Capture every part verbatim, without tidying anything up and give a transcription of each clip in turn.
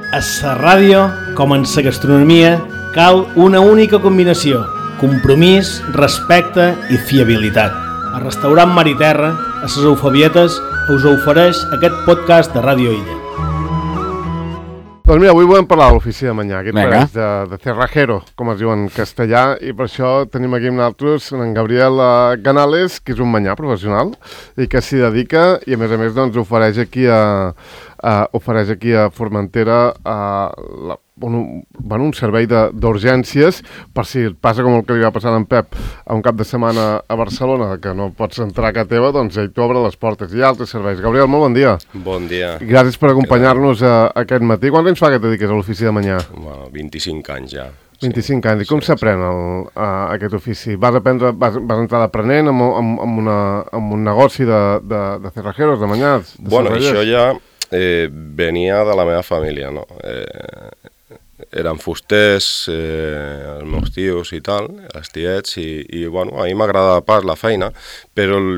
A la ràdio, com en la gastronomia, cal una única combinació: compromís, respecte i fiabilitat. El restaurant Mar i Terra, a les Eufabietes, us ofereix aquest podcast de Ràdio Illa. Doncs mira, avui volem parlar de l'ofici de Manyà, aquest pareix de, de cerrajero, com es diu en castellà, i per això tenim aquí amb nosaltres en Gabriel Canales, que és un manyà professional i que s'hi dedica i a més a més doncs ofereix aquí a, a, ofereix aquí a Formentera a la, un, bueno, un servei d'urgències per si et passa com el que li va passar a en Pep a un cap de setmana a Barcelona, que no pots entrar a casa teva, doncs ell t'obre les portes. Hi ha altres serveis. Gabriel, molt bon dia. Bon dia. Gràcies per acompanyar-nos aquest matí. Quants anys fa que et dediques a l'ofici de Manyà? Bueno, vint-i-cinc anys ja. vint-i-cinc anys. I com sí, s'aprèn sí. aquest ofici? Vas aprendre, vas, vas entrar d'aprenent amb, amb, amb, una, amb un negoci de, de, de cerrajeros, de manyats? De bueno, això ja eh, venia de la meva família, no? Eh, eren fusters, eh, els meus tios i tal, els tiets, i, i bueno, a mi m'agradava pas la feina, però el,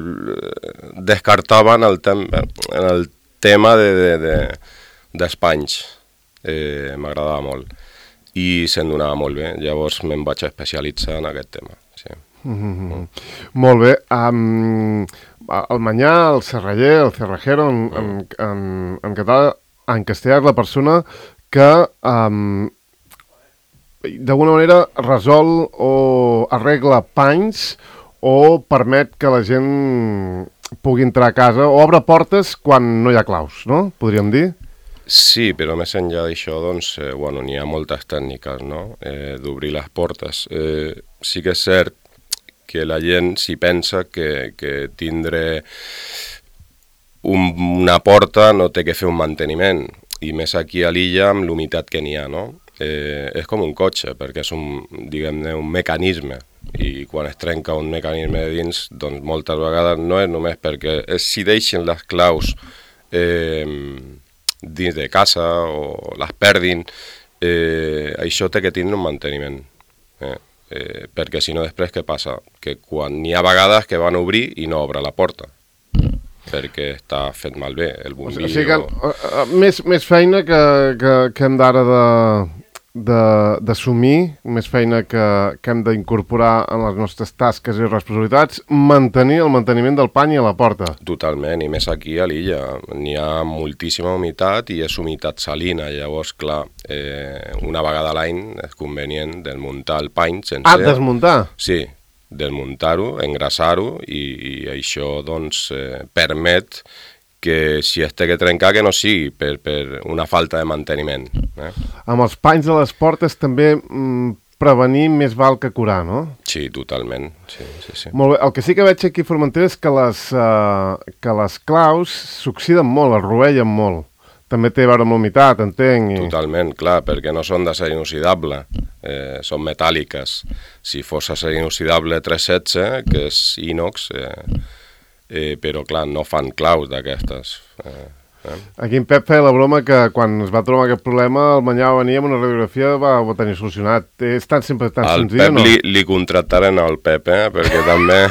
descartaven el, tem en el tema de, de, de, d'espanys. Eh, m'agradava molt. I se'n donava molt bé, llavors me'n vaig especialitzar en aquest tema. Sí. Mm-hmm. Mm. Molt bé. Um, el manyà, el serraller, el cerrajero, en, mm. en, en, en català, en castellà és la persona que um, d'alguna manera resol o arregla panys o permet que la gent pugui entrar a casa o obre portes quan no hi ha claus, no? Podríem dir? Sí, però més enllà d'això, doncs, eh, bueno, n'hi ha moltes tècniques, no?, eh, d'obrir les portes. Eh, sí que és cert que la gent s'hi pensa que, que tindre un, una porta no té que fer un manteniment, i més aquí a l'illa amb l'humitat que n'hi ha, no? Eh, és com un cotxe, perquè és un, diguem-ne, un mecanisme, i quan es trenca un mecanisme de dins, doncs moltes vegades no és només perquè si deixen les claus eh, dins de casa o les perdin, eh, això té que tindre un manteniment. Eh? Eh, perquè si no després què passa? Que quan n'hi ha vegades que van obrir i no obre la porta, perquè està fet malbé el bombillo. O sigui que uh, uh, més, més feina que, que, que hem d'ara d'assumir, més feina que, que hem d'incorporar en les nostres tasques i responsabilitats, mantenir el manteniment del pany a la porta. Totalment, i més aquí a l'illa. N'hi ha moltíssima humitat i és humitat salina, llavors, clar, eh, una vegada a l'any és convenient desmuntar el pany sencer. Ah, desmuntar? Sí, desmuntar-ho, engrasar-ho, i, i això doncs eh, permet que si es té que trencar que no sigui per, per una falta de manteniment. Eh? Amb els panys de les portes també mm, prevenir més val que curar, no? Sí, totalment. Sí, sí, sí. Molt bé. El que sí que veig aquí a Formentera és que les, uh, que les claus s'oxiden molt, es rovellen molt. També té a veure amb l'humitat, entenc. I... Totalment, clar, perquè no són d'acer inoxidable, eh, són metàl·liques. Si fos acer inoxidable tres setze, que és inox, eh, eh, però clar, no fan claus d'aquestes. Eh, eh. Aquí en Pep feia la broma que quan es va trobar aquest problema, el Manyà venia amb una radiografia va, va tenir solucionat. És tan sempre tan al senzill, Pep no? Li, li contractaren al Pep, eh, perquè també...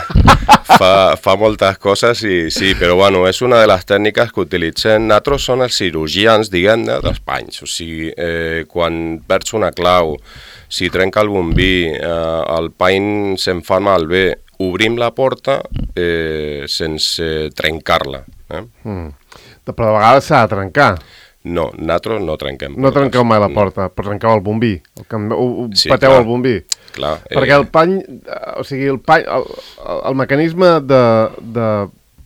Fa, fa moltes coses i sí, però bueno, és una de les tècniques que utilitzem. Nosaltres són els cirurgians, diguem-ne, dels panys. O sigui, eh, quan perds una clau, si trenca el bombí, eh, el pany se'n fa malbé, obrim la porta eh, sense trencar-la. Eh? Mm. Però a vegades s'ha de trencar. No, nosaltres no trenquem portes. No trenqueu mai la porta, no. Però trenqueu el bombí. El que, ho, ho sí, pateu clar. El bombí. Clar, perquè eh... el pany, o sigui, el pany, el, el mecanisme de, de,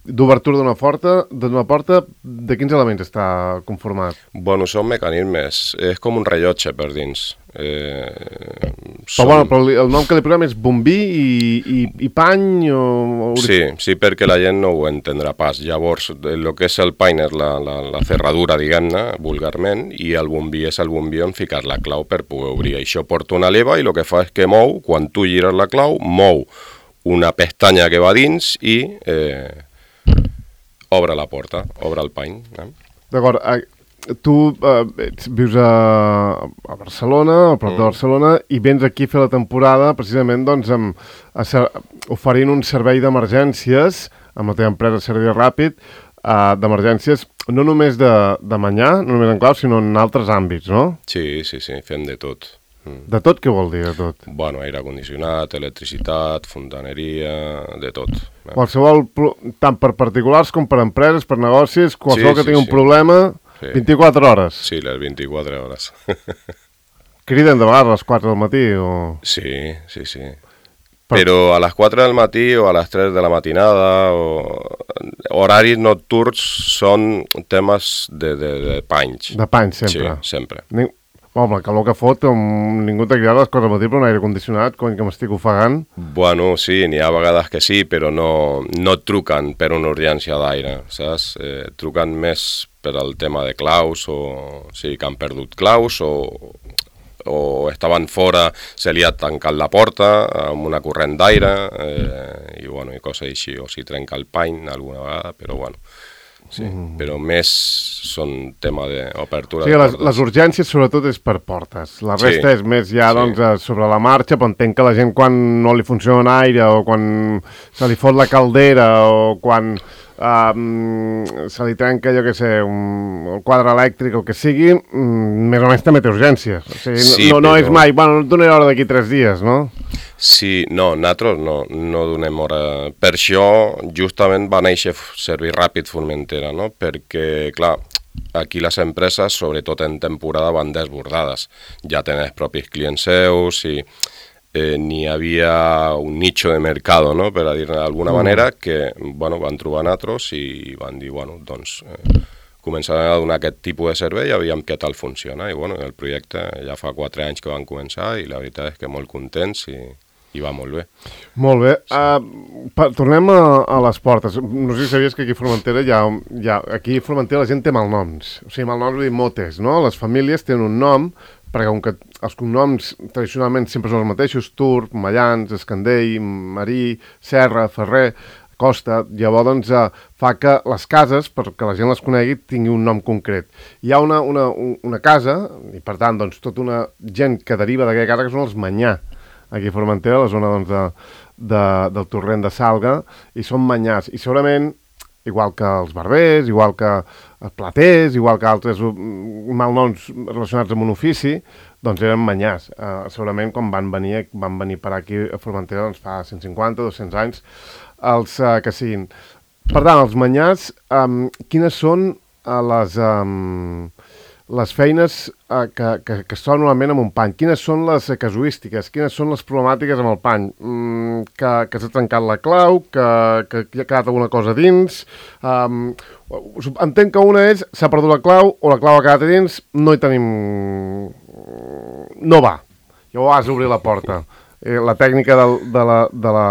d'obertura d'una porta, d'una porta, de quins elements està conformat? Bueno, són mecanismes, és com un rellotge per dins. Eh, però, són... bueno, però el nom que li posem és bombí i, i, i pany o... Sí, sí, perquè la gent no ho entendrà pas. Llavors, el que és el pany és la, la, la ferradura, diguem-ne, vulgarment, i el bombí és el bombí on ficar la clau per poder obrir. Això porta una leva i el que fa és que mou, quan tu gires la clau, mou una pestanya que va dins i eh, obre la porta, obre el pany. Eh? D'acord, tu eh, vius a, a Barcelona, a prop mm. de Barcelona, i vens aquí a fer la temporada precisament doncs, amb, a ser, oferint un servei d'emergències amb la teva empresa Servei Ràpid. uh, d'emergències, no només de, de menjar, no només en clau, sinó en altres àmbits, no? Sí, sí, sí, fem de tot. Mm. De tot què vol dir, de tot? Bueno, aire condicionat, electricitat, fontaneria, de tot. Qualsevol, tant per particulars com per empreses, per negocis, qualsevol sí, que sí, tingui sí. un problema, sí. vint-i-quatre hores. Sí, les vint-i-quatre hores. Criden de vegades a les quatre del matí o...? Sí, sí, sí. Per... Però a les quatre del matí o a les tres de la matinada o... horaris nocturns són temes de, de, de panys. De panys, sempre. Sí, sempre. Ni... Home, el calor que fot, um, ningú t'ha cridat a les quatre del matí per un aire condicionat, quan que m'estic ofegant. Bueno, sí, n'hi ha vegades que sí, però no, no et truquen per una urgència d'aire, saps? Eh, truquen més per al tema de claus o o sigui, que han perdut claus o... o estaven fora, se li ha tancat la porta amb una corrent d'aire eh, i, bueno, i coses així, o si trenca el pany alguna vegada, però bueno, sí, mm. però més són tema d'obertura sí, de les, portes. Les urgències sobretot és per portes, la resta sí. és més ja sí. doncs, sobre la marxa, però entenc que la gent quan no li funciona l'aire o quan se li fot la caldera o quan... Um, se li trenca, jo què sé, un, el quadre elèctric o el que sigui, um, més o menys també té urgències. O sigui, sí, no, no però... és mai, bueno, no et donaré hora d'aquí tres dies, no? Sí, no, nosaltres no, no donem hora. Per això, justament, va néixer Servei Ràpid Formentera, no? Perquè, clar, aquí les empreses, sobretot en temporada, van desbordades. Ja tenen els propis clients seus i... Eh, n'hi havia un nicho de mercado, no? Per a dir-ne d'alguna mm. manera, que bueno, van trobar nosaltres i van dir, bueno, doncs, eh, començarem a donar aquest tipus de servei i aviam què tal funciona. I bueno, el projecte ja fa quatre anys que van començar i la veritat és que molt contents i, i va molt bé. Molt bé. Sí. Uh, pa, tornem a, a les portes. No sé si sabies que aquí a Formentera hi ha, hi ha... Aquí a Formentera la gent té malnoms. O sigui, malnoms vull dir motes, no? Les famílies tenen un nom, perquè com que els cognoms tradicionalment sempre són els mateixos, Turp, Mallans, Escandell, Marí, Serra, Ferrer, Costa, llavors doncs, eh, fa que les cases, perquè la gent les conegui, tingui un nom concret. Hi ha una, una, una casa, i per tant, doncs, tota una gent que deriva d'aquella casa, que són els Manyà, aquí a Formentera, a la zona doncs, de, de, del torrent de Salga, i són Manyàs. I segurament, igual que els barbers, igual que els platers, igual que altres malnoms relacionats amb un ofici, doncs eren Manyàs. Uh, segurament quan van venir, van venir per aquí a Formentera doncs fa cent cinquanta, dos-cents anys, els uh, que siguin. Per tant, els Manyàs, um, quines són uh, les, um, les feines uh, que, que, que es troben normalment amb un pany? Quines són les casuístiques? Quines són les problemàtiques amb el pany? Mm, que, que s'ha trencat la clau, que, que hi ha quedat alguna cosa dins... Um, entenc que una és, s'ha perdut la clau o la clau ha quedat dins, no hi tenim... no va. Llavors has d'obrir la porta. Eh, la tècnica de, de, la, de, la,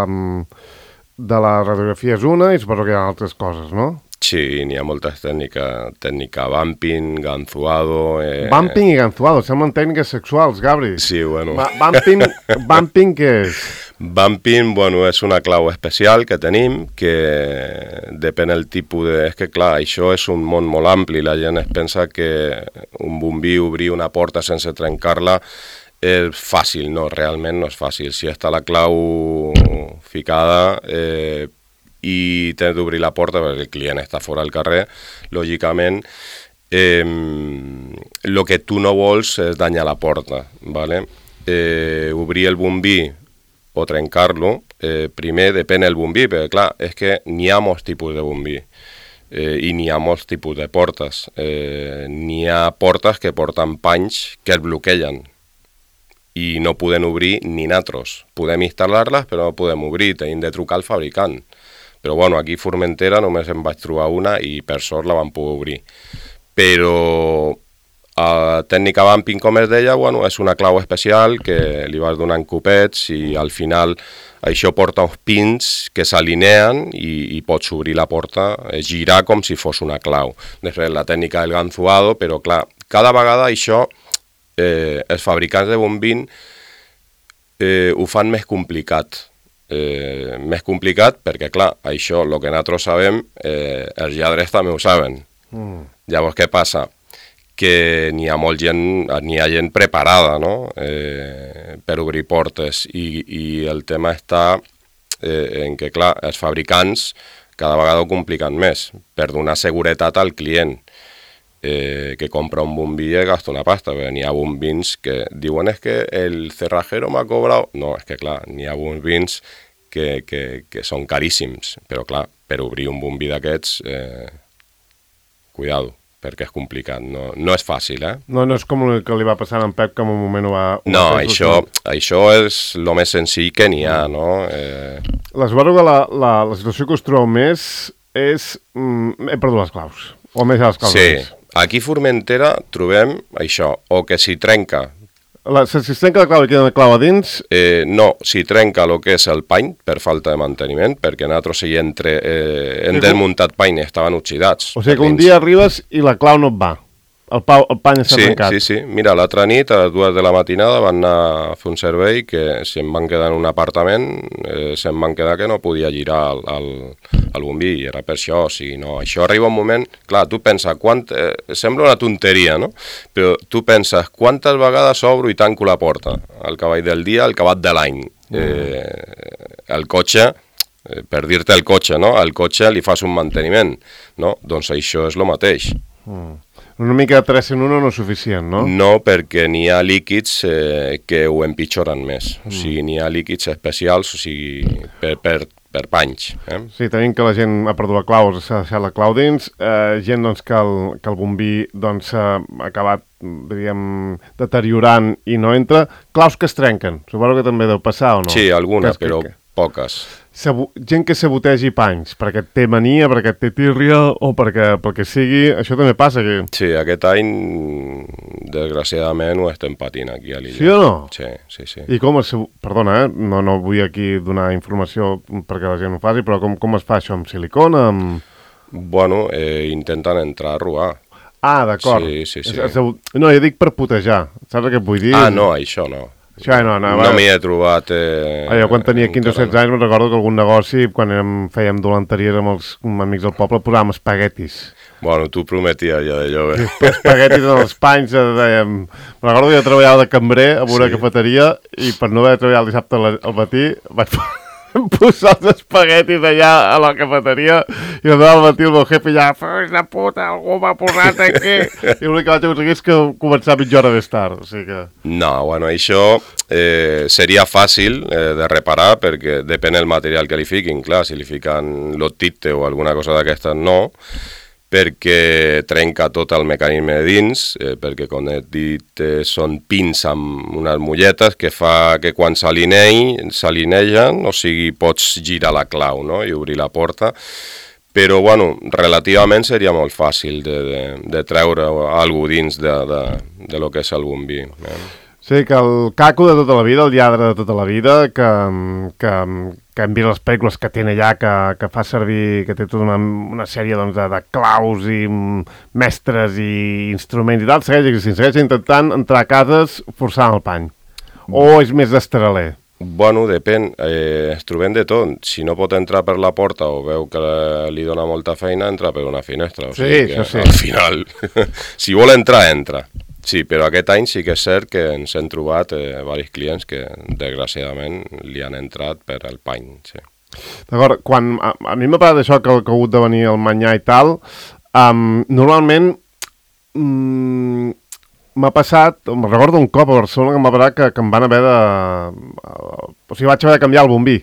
de la radiografia és una i suposo que hi ha altres coses, no? Sí, n'hi ha moltes tècniques, tècnica bumping, ganzuado... Eh... Bumping i ganzuado, semblen tècniques sexuals, Gabri. Sí, bueno. Ba bumping, bumping què és? Bumping, bueno, és una clau especial que tenim, que depèn del tipus de... És que, clar, això és un món molt ampli, la gent es pensa que un bombí obrir una porta sense trencar-la és fàcil, no, realment no és fàcil. Si està la clau ficada... Eh, i tens d'obrir la porta perquè el client està fora del carrer, lògicament, eh, el que tu no vols és danyar la porta, ¿vale? Eh, obrir el bombí o trencar-lo, eh, primer depèn del bombí, perquè clar, és que n'hi ha molts tipus de bombí eh, i n'hi ha molts tipus de portes. Eh, n'hi ha portes que porten panys que es bloquegen i no podem obrir ni natros. Podem instal·lar-les, però no podem obrir, tenim de trucar al fabricant. Però bueno, aquí a Formentera només em vaig trobar una i per sort la vam poder obrir. Però a tècnica bumping, com es deia, bueno, és una clau especial que li vas donant copets i al final això porta uns pins que s'alineen i, i pots obrir la porta, girar com si fos una clau. Després la tècnica del ganzuado, però clar, cada vegada això eh, els fabricants de bombín eh, ho fan més complicat. Eh, més complicat perquè, clar, això, el que nosaltres sabem, eh, els lladres també ho saben. Mm. Llavors, què passa? Que n'hi ha molt gent, n'hi ha gent preparada, no?, eh, per obrir portes i, i el tema està eh, en què, clar, els fabricants cada vegada ho compliquen més, per donar seguretat al client. Eh, que compra un bombí y gasta una pasta, pero ni ha bombins que diuen es que el cerrajero m'ha cobrado. No, és que clar, n'hi ha bombins que, que, que són caríssims, però clar, per obrir un bombí d'aquests, eh, cuidado, perquè és complicat, no, no és fàcil, eh? No, no és com el que li va passar a en Pep, que en un moment ho va... Ho no, va això, això és el més senzill que n'hi ha, no? Eh... L'esbarro que la, la, la situació que us trobeu més és... Mm, he perdut les claus, o més les claus. Sí. Aquí a Formentera trobem això, o que s'hi trenca... La, si es trenca la clau i queda la clau a dins... Eh, no, s'hi trenca el que és el pany per falta de manteniment, perquè nosaltres hi entre, eh, hem sí, desmuntat pany i estaven oxidats. O sigui que un dia arribes i la clau no et va. El, pau, el pany s'ha sí, trencat. Sí, sí, mira, l'altra nit a les dues de la matinada van anar a fer un servei que si em van quedar en un apartament, eh, se'm van quedar que no podia girar el, el, el bombí, i era per això, o sigui, no, això arriba un moment, clar, tu penses, quant, eh, sembla una tonteria, no? Però tu penses, quantes vegades obro i tanco la porta? El cavall del dia, el cavall de l'any. Eh, el cotxe, eh, per dir-te el cotxe, no? Al cotxe li fas un manteniment, no? Doncs això és el mateix. Mm. Una mica de tres en un no és suficient, no? No, perquè n'hi ha líquids eh, que ho empitjoren més. Mm. O sigui, n'hi ha líquids especials, o sigui, per, per, per panys. Eh? Sí, tenim que la gent ha perdut la clau, s'ha deixat la clau dins, eh, gent doncs, que, el, que el bombí doncs, ha acabat, diríem, deteriorant i no entra. Claus que es trenquen, suposo que també deu passar o no? Sí, algunes, però poques. Sabu gent que sabotegi panys, perquè té mania, perquè té tírria o perquè, perquè sigui... Això també passa aquí. Sí, aquest any, desgraciadament, ho estem patint aquí a l'illa. Sí o no? Sí, sí, sí. I com es... Perdona, eh? No, no vull aquí donar informació perquè la gent ho faci, però com, com es fa això? Amb silicona? Amb... Bueno, eh, intenten entrar a robar. Ah, d'acord. Sí, sí, sí. No, jo dic per putejar. Saps què et vull dir? Ah, no, això no. Això no, no, no m'hi he trobat... Eh, ah, jo quan tenia quinze o setze anys me'n recordo que algun negoci, quan érem, fèiem dolenteries amb els amics del poble, posàvem espaguetis. Bueno, tu prometies ja d'allò, eh? Espaguetis en els panys, dèiem... Me'n recordo que jo treballava de cambrer a una sí. cafeteria i per no haver treballat el dissabte al matí vaig posar els espaguetis allà a la cafeteria i el al matí el meu jefe ja «Fills de puta, algú m'ha posat aquí!» i l'únic que vaig aconseguir és que començava mitja hora més tard, o sigui que... No, bueno, això eh, seria fàcil eh, de reparar perquè depèn del material que li fiquin, clar, si li fiquen l'otite o alguna cosa d'aquestes no, perquè trenca tot el mecanisme de dins, eh, perquè com he dit eh, són pins amb unes molletes que fa que quan s'alinegen, o sigui, pots girar la clau, no?, i obrir la porta, però, bueno, relativament seria molt fàcil de, de, de treure alguna cosa dins de, de, de lo que és el bombí. Eh? Sí, que el caco de tota la vida, el lladre de tota la vida, que, que, que hem vist les pel·lícules que té allà, que, que fa servir, que té tota una, una sèrie doncs, de, de claus i mestres i instruments i tal, segueix existint, segueix intentant entrar a cases forçant el pany. O és més d'estraler? Bueno, depèn, eh, ens trobem de tot. Si no pot entrar per la porta o veu que li dona molta feina, entra per una finestra. O sí, sigui que, això sí. Al final, si vol entrar, entra. Sí, però aquest any sí que és cert que ens hem trobat eh, diversos clients que, desgraciadament, li han entrat per el pany, sí. D'acord, quan a, a mi m'ha parlat d'això que, que ha hagut de venir el manyà i tal, um, normalment um, m'ha passat, em recordo un cop a Barcelona que em va parar que, que em van haver de... Uh, o sigui, vaig haver de canviar el bombí.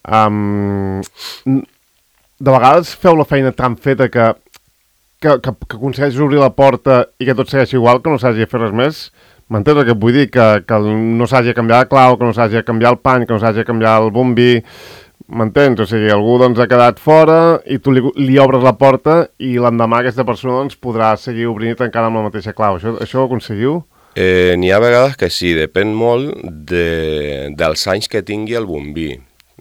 Um, de vegades feu la feina tan feta que Que, que, que aconsegueixis obrir la porta i que tot segueixi igual, que no s'hagi de fer res més. M'entens el que et vull dir? Que, que no s'hagi de canviar la clau, que no s'hagi de canviar el pany, que no s'hagi de canviar el bombí. M'entens? O sigui, algú doncs, ha quedat fora i tu li, li obres la porta i l'endemà aquesta persona doncs, podrà seguir obrint i tancant amb la mateixa clau. Això, això ho aconseguiu? Eh, N'hi ha vegades que sí, depèn molt de, dels anys que tingui el bombí.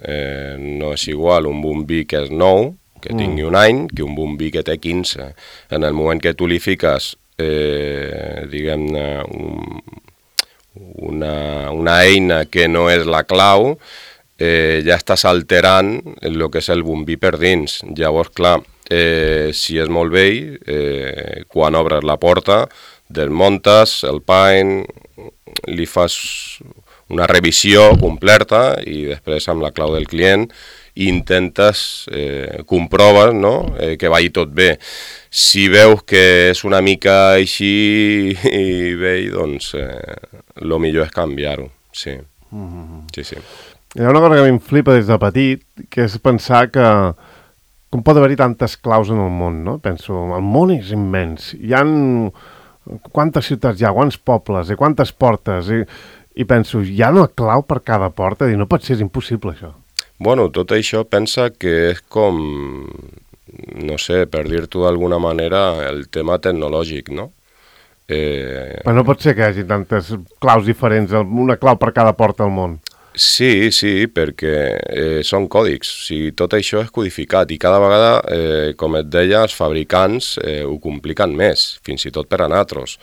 Eh, no és igual un bombí que és nou, que tingui un any, que un bombí que té quinze. En el moment que tu li fiques, eh, diguem-ne, un, una, una eina que no és la clau, eh, ja estàs alterant el que és el bombí per dins. Llavors, clar, eh, si és molt vell, eh, quan obres la porta, desmuntes el pany, li fas una revisió completa i després amb la clau del client i intentes, eh, comproves, no?, eh, que vagi tot bé. Si veus que és una mica així i vell, doncs eh, lo millor és canviar-ho, sí. Mm-hmm. Sí, sí. Hi ha una cosa que a mi em flipa des de petit, que és pensar que com pot haver-hi tantes claus en el món, no? Penso, el món és immens. Hi ha quantes ciutats hi ha, quants pobles, i quantes portes, i, i penso, hi ha una clau per cada porta, i no pot ser, és impossible, això. Bueno, tot això pensa que és com, no sé, per dir-t'ho d'alguna manera, el tema tecnològic, no? Eh... Però no pot ser que hi hagi tantes claus diferents, una clau per cada porta al món. Sí, sí, perquè eh, són còdics, o sigui, tot això és codificat i cada vegada, eh, com et deia, els fabricants eh, ho compliquen més, fins i tot per a nosaltres.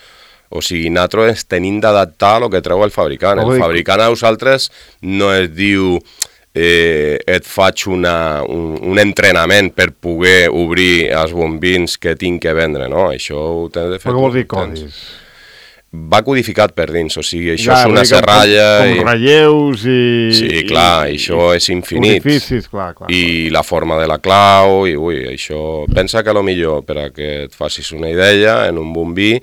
O sigui, nosaltres tenim d'adaptar el que treu el fabricant. El fabricant a nosaltres no es diu eh, et faig una, un, un entrenament per poder obrir els bombins que tinc que vendre, no? Això ho tens de fer. Però què vols dir codis? Va codificat per dins, o sigui, això ja, és una serralla... Com, com i... relleus i... Sí, clar, i, això és infinit. Orificis, clar, clar. I clar. La forma de la clau, i ui, això... Pensa que a lo millor, per a que et facis una idea, en un bombí,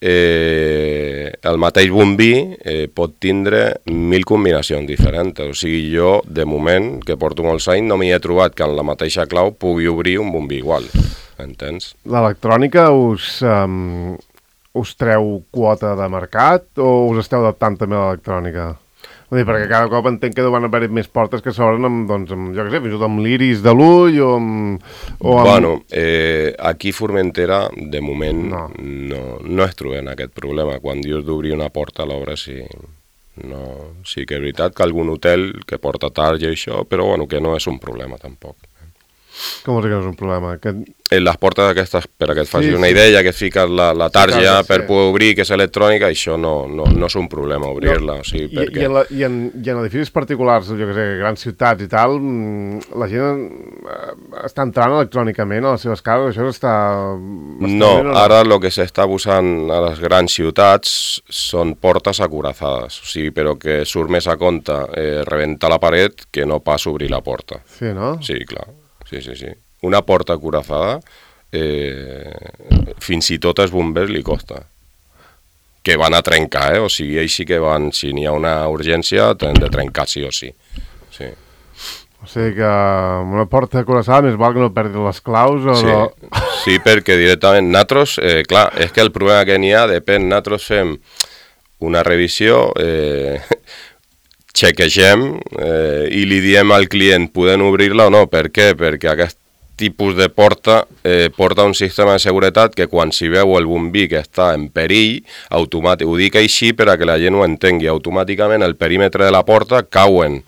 eh, el mateix bombí eh, pot tindre mil combinacions diferents. O sigui, jo, de moment, que porto molts anys, no m'hi he trobat que en la mateixa clau pugui obrir un bombí igual, entens? L'electrònica us... Um... us treu quota de mercat o us esteu adaptant també a l'electrònica? Vull dir, perquè cada cop entenc que deuen haver més portes que s'obren amb, doncs, amb, jo què sé, fins i tot amb l'iris de l'ull o amb... O amb... Bueno, eh, aquí a Formentera, de moment, no. No, no es trobem aquest problema. Quan dius d'obrir una porta a l'obra, sí, no, sí que és veritat que algun hotel que porta tarja i això, però bueno, que no és un problema tampoc. Com vols dir que no és un problema? Que... En les portes aquestes, per a que et facis sí, una sí. idea, que fiques la, la tarja sí, clar, per sí. poder obrir, que és electrònica, això no, no, no és un problema obrir-la. No. O sigui, I, perquè... i, en la, i, en, I en edificis particulars, jo que sé, grans ciutats i tal, la gent està entrant electrònicament a les seves cases, això està... No, ara el que s'està usant a les grans ciutats són portes acorazades, o sigui, però que surt més a compte eh, rebentar la paret que no pas obrir la porta. Sí, no? Sí, clar. Sí, sí, sí. Una porta acorazada, eh, fins i tot als bombers li costa. Que van a trencar, eh? O sigui, ells sí que van, si n'hi ha una urgència, tenen de trencar sí o sí. Sí. O sigui que una porta acorazada més val que no perdi les claus o sí, no... Sí, perquè directament nosaltres, eh, clar, és que el problema que n'hi ha depèn, nosaltres fem una revisió... Eh, xequegem eh, i li diem al client podem obrir-la o no. Per què? Perquè aquest tipus de porta eh, porta un sistema de seguretat que quan s'hi veu el bombí que està en perill, automàtic, ho dic així per a que la gent ho entengui, automàticament el perímetre de la porta cauen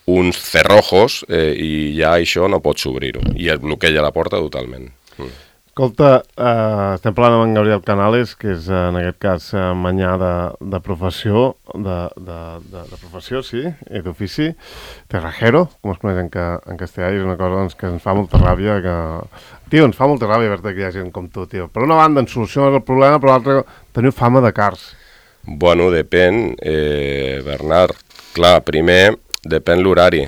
uns cerrojos eh, i ja això no pots obrir-ho i es bloqueja la porta totalment. Mm. Escolta, eh, estem parlant amb en Gabriel Canales, que és en aquest cas eh, manyà de, de professió, de, de, de, de professió, sí, i d'ofici, terrajero, com es coneix en, ca, en castellà, i és una cosa doncs, que ens fa molta ràbia, que... Tio, ens fa molta ràbia veure que hi ha gent com tu, tio. Per una banda, en soluciones el problema, per l'altra, teniu fama de cars. Bueno, depèn, eh, Bernard. Clar, primer, depèn l'horari.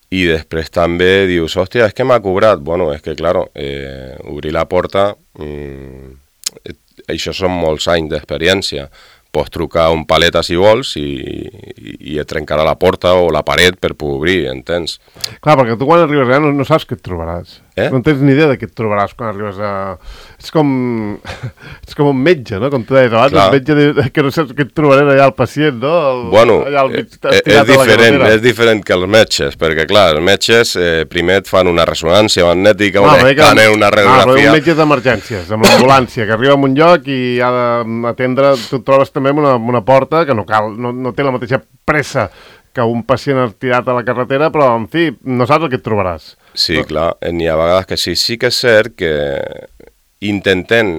I després també dius, hòstia, és que m'ha cobrat. Bueno, és que, claro, eh, obrir la porta, mmm, això són molts anys d'experiència. Pots trucar un paleta si vols i, i, i et trencarà la porta o la paret per poder obrir, entens? Clar, perquè tu quan arribes allà no, no saps què et trobaràs. Eh? No tens ni idea de què et trobaràs quan arribes a... És com... és com un metge, no? Com tu deies abans, un metge de... que no saps què et trobaràs allà al pacient, no? El... Bueno, allà al mig, és, diferent, és diferent que els metges, perquè clar, els metges eh, primer et fan una ressonància magnètica, no, un escàner, una radiografia... No, però un metge d'emergències, amb l'ambulància, que arriba a un lloc i ha d'atendre... Tu et trobes també una, una porta que no cal, no, no té la mateixa pressa que un pacient tirat a la carretera, però, en fi, no saps el que et trobaràs. Sí, no? Clar, n'hi ha vegades que sí. Sí que és cert que intentem,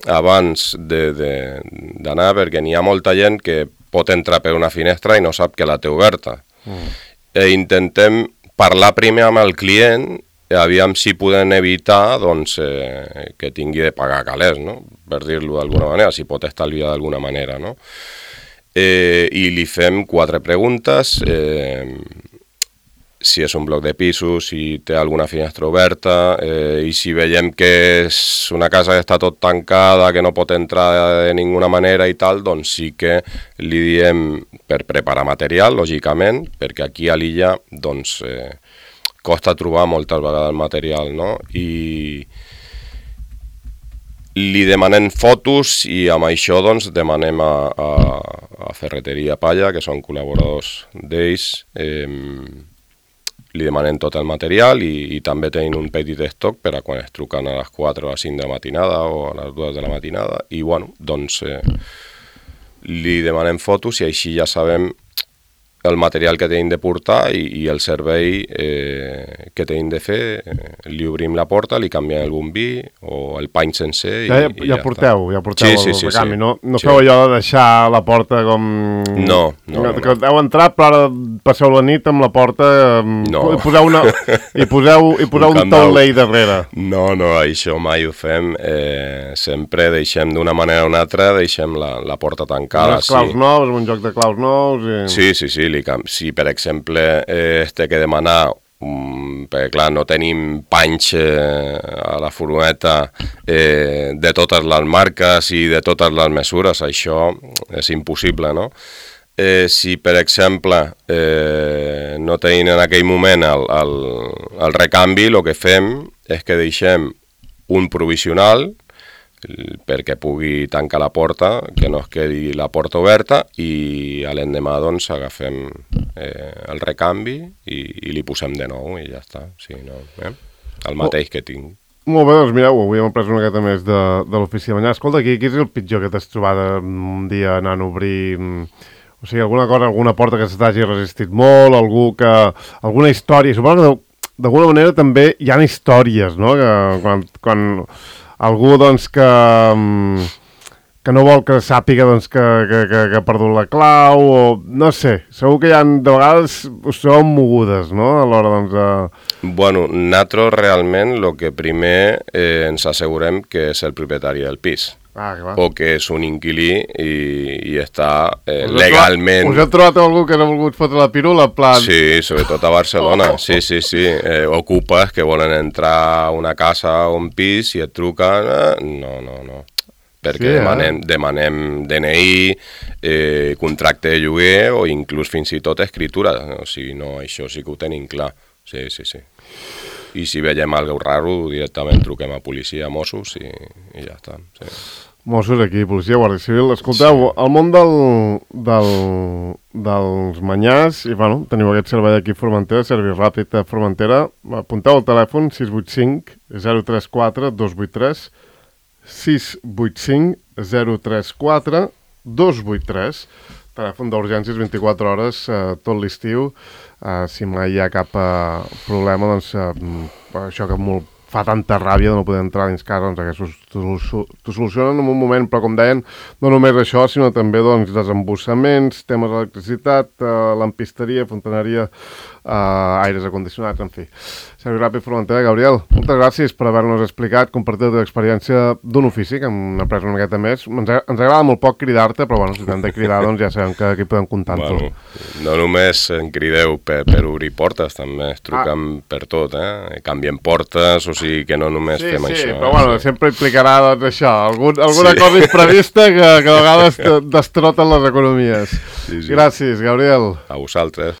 abans d'anar, perquè n'hi ha molta gent que pot entrar per una finestra i no sap que la té oberta. Mm. E intentem parlar primer amb el client, aviam si podem evitar doncs, eh, que tingui de pagar calés, no? Per dir-lo d'alguna manera, si pot estalviar d'alguna manera, no? Eh, i li fem quatre preguntes. Eh, si és un bloc de pisos, si té alguna finestra oberta, eh, i si veiem que és una casa que està tot tancada, que no pot entrar de ninguna manera i tal, doncs sí que li diem per preparar material, lògicament, perquè aquí a l'illa doncs, eh, costa trobar moltes vegades el material, no? I li demanem fotos i amb això doncs, demanem a, a, a Ferreteria Palla, que són col·laboradors d'ells, eh, li demanem tot el material i, i també tenim un petit estoc per a quan es truquen a les quatre o a les cinc de la matinada o a les dues de la matinada i bueno, doncs eh, li demanem fotos i així ja sabem el material que tenim de portar i, i el servei eh, que tenim de fer, eh, li obrim la porta, li canviem el bombí o el pany sencer i ja, ja, i ja, ja porteu, està. ja porteu sí, el, sí, el sí, recanvi, sí. no, no sí. feu allò de deixar la porta com... No, no, no. Que heu entrat, però ara passeu la nit amb la porta no. i poseu, una, i poseu, i poseu un, un taulell darrere. No, no, això mai ho fem. Eh, sempre deixem d'una manera o una altra, deixem la, la porta tancada. Unes claus sí. nous, un joc de claus nous... I... Sí, sí, sí. Li cam... Si, per exemple, eh, es té que demanar, um, perquè clar, no tenim panys eh, a la furgoneta eh, de totes les marques i de totes les mesures, això és impossible, no? Eh, si, per exemple, eh, no tenim en aquell moment el, el, el recanvi, el que fem és que deixem un provisional perquè pugui tancar la porta, que no es quedi la porta oberta i a l'endemà doncs agafem eh, el recanvi i, i li posem de nou i ja està, sí, no, eh? El mateix que tinc. Molt bé, doncs mireu, avui hem après una miqueta més de, de l'ofici de banyar. Escolta, aquí, qui és el pitjor que t'has trobat un dia anant a obrir... O sigui, alguna cosa, alguna porta que se t'hagi resistit molt, algú que... alguna història, suposo que d'alguna manera també hi ha històries, no?, que quan... quan algú doncs, que, que no vol que sàpiga doncs, que, que, que, que ha perdut la clau, o no sé, segur que hi ha, de vegades us trobeu mogudes, no?, a l'hora doncs, de... Bueno, nosaltres realment el que primer eh, ens assegurem que és el propietari del pis. Ah, clar. O que és un inquilí i, i està eh, us legalment... Us heu trobat algú que no ha volgut fotre la pirula? Plan... Sí, sobretot a Barcelona, oh. sí, sí, sí. Eh, ocupes que volen entrar a una casa o un pis i et truquen... Eh, no, no, no. Perquè sí, demanem, eh? demanem D N I, eh, contracte de lloguer o inclús fins i tot escritura. O sigui, no, això sí que ho tenim clar. Sí, sí, sí. I si veiem alguna cosa raro, directament truquem a policia, a Mossos i, i ja està. Sí. Mossos aquí, policia, guàrdia civil. Escolteu, sí. El món del, del, dels manyars, i bueno, teniu aquest servei aquí a Formentera, servei ràpid a Formentera, apunteu el telèfon sis vuit cinc zero tres quatre dos vuit tres, sis vuit cinc zero tres quatre dos vuit tres, telèfon d'urgències vint-i-quatre hores, eh, tot l'estiu. Uh, si mai hi ha cap uh, problema, doncs uh, això que molt fa tanta ràbia de no poder entrar dins casa, doncs aquests t'ho solucionen en un moment, però com deien, no només això, sinó també doncs, desembussaments, temes d'electricitat, uh, lampisteria, fontaneria, uh, aires acondicionats, en fi. Servei Ràpid Formentera. Gabriel, moltes gràcies per haver-nos explicat, compartir la teva experiència d'un ofici, que hem après una miqueta més. Ens, ens agrada molt poc cridar-te, però bueno, si t'hem de cridar, doncs ja sabem que aquí podem comptar amb bueno, tu. No només en crideu per, per obrir portes, també es truquen ah. per tot, eh? Canviem portes, o sigui que no només sí, fem sí, això. Sí, però eh? bueno, sí. sempre implicarà doncs, això, algun, alguna sí. cosa imprevista que, que a vegades destroten les economies. Sí, sí. Gràcies, Gabriel. A vosaltres.